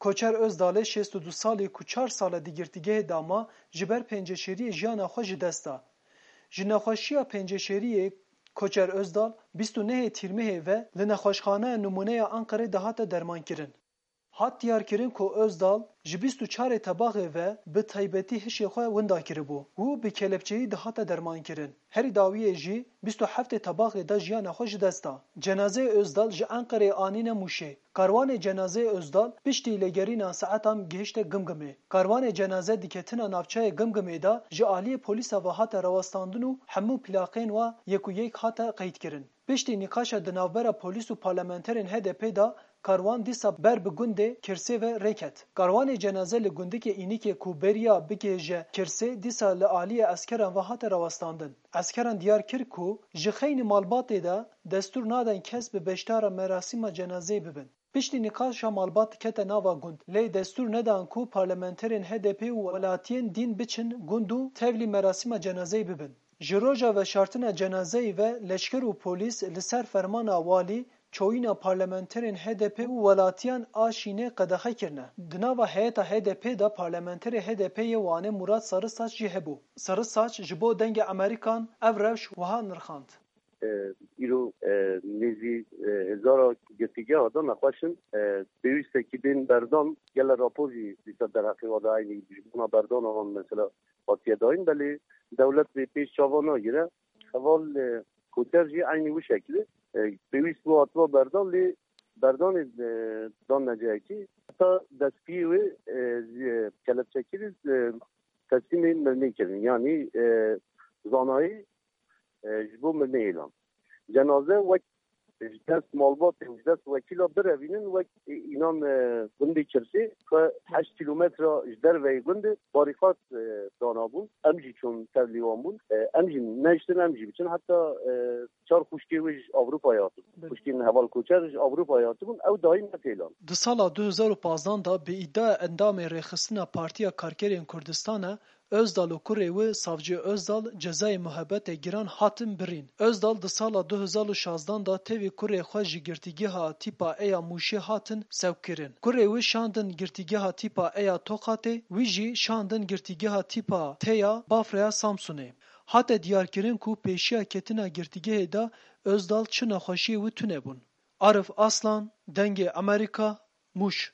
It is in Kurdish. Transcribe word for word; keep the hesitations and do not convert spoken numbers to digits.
Koçer Ozdalê şêst û du salî ku çar sal e di girtîgehê de ma, ji ber penceşêriyê jiyana xwe ji dest da. Ji nexweşiya penceşêriyê Koçer Ozdal bîst û nehê Tîrmehê ve li nexweşxaneya Nimûneya Enqerê de hate dermankirin. Hat diyarkirin ku Ozdal ji bîst û çarê Tebaxê ve bi taybetî hişê xwe winda kiribû û bi kelepçeyî dihate dermankirin. Herî dawiyê jî bîst û heftê Tebaxê de jiyana xwe ji dest da. Cenazeyê Ozdal ji Enqereyê anîne Mûşê. Karwanê cenazeyê Ozdal piştî lêgerîna saetan gihişte Gimgimê. Karwanê cenaze di ketina navçeyê Gimgimê de ji aliyê polîsa ve hate rawestandin û hemû plaqên wa yek û yek hate qeydkirin. Piştî nîqaşa di navbera polîs û parlamenterên H D P de karwan dîsa ber bi gundê Kirsê ve rê ket. Karwanê cenaze li gundikê Înîkê ku beriya bigihêje Kirsê dîsa li aliyê eskeran ve hate rawestandin. Eskeran diyar kir ku ji xeynî malbatê de destûr nadin kes bi beşdara merasîma cenazeyê bibin. Piştî nîqaşa malbat kete nava gund, lê destûr nedan ku parlamenterên H D P û welatiyên dîn biçin gund û tevlî merasîma cenazeyê bibin. Ji roja veşartina cenazeyê ve leşker û polîs li ser fermana walî çoyîna parlamenterên H D P û welatiyan a Şînê qedexe kirine. Di nava heyeta H D P de parlamenterê H D P yê Wanê Murat Sarısaç jî hebû. Sarısaç ji bo Dengê Amerîkan ev rewş wiha nirxand. E, îro, e, nêzî, e, hezara girtîgeha de nexweş in. E, pêwîstekî bên berdan, gele rapor jî dîsa derheqê wa de eynî ji bona berdana wan mesela hatiye dayîn, belê dewlet vê pêş çavan nagire. Heval, e, Koçer jî eynî wî şekilî, e, pêwîst bû hatiba berdan, lê berdanê, e, dan neceyekî heta destpiyê wê, e, ji kelepçekirî, e, teslîmê mirinê kirin. Yanî, e, zanayî, e, ji bo mirinê êlan. Cenaze wek ji dest malbatê û ji dest wekîla birevînin wek, e, înan, e, gundê Kirsê xwe heşt kîlometre ji derveyê gundê barîqat, e, danabûn. Em jî çûn tevlî wan bûn. E, em jî neştin, em jî biçin. Heta, e, çar xwişkê wê ji Ewropayê hatibûn. Belê. Xwişkên heval Koçer ji Ewropayê hatibûn. Ew dayî ne têlan. Di sala du hezar û pazdeh de bi îdiaya endamê Rêxistina Partiya Karkerên Kurdistan e, Ozdal û kurê wî Savcî Ozdal cezayê muhebetê giran hatin birîn. Ozdal di sala du hezar û şazdan de tevî kurê xwe ji girtîgeha tîpa E ya Mûşê hatin sewkirin. Kurê wî şandin girtîgeha tîpa E ya Toqatê, wî jî şandin girtîgeha tîpa T ya Bafraya Samsunê. Hate diyarkirin ku pêşiya ketina girtîgehê de Ozdal çi nexweşiyê wî tune bûn. Arif Aslan, Dengê Amerîka, Mûş.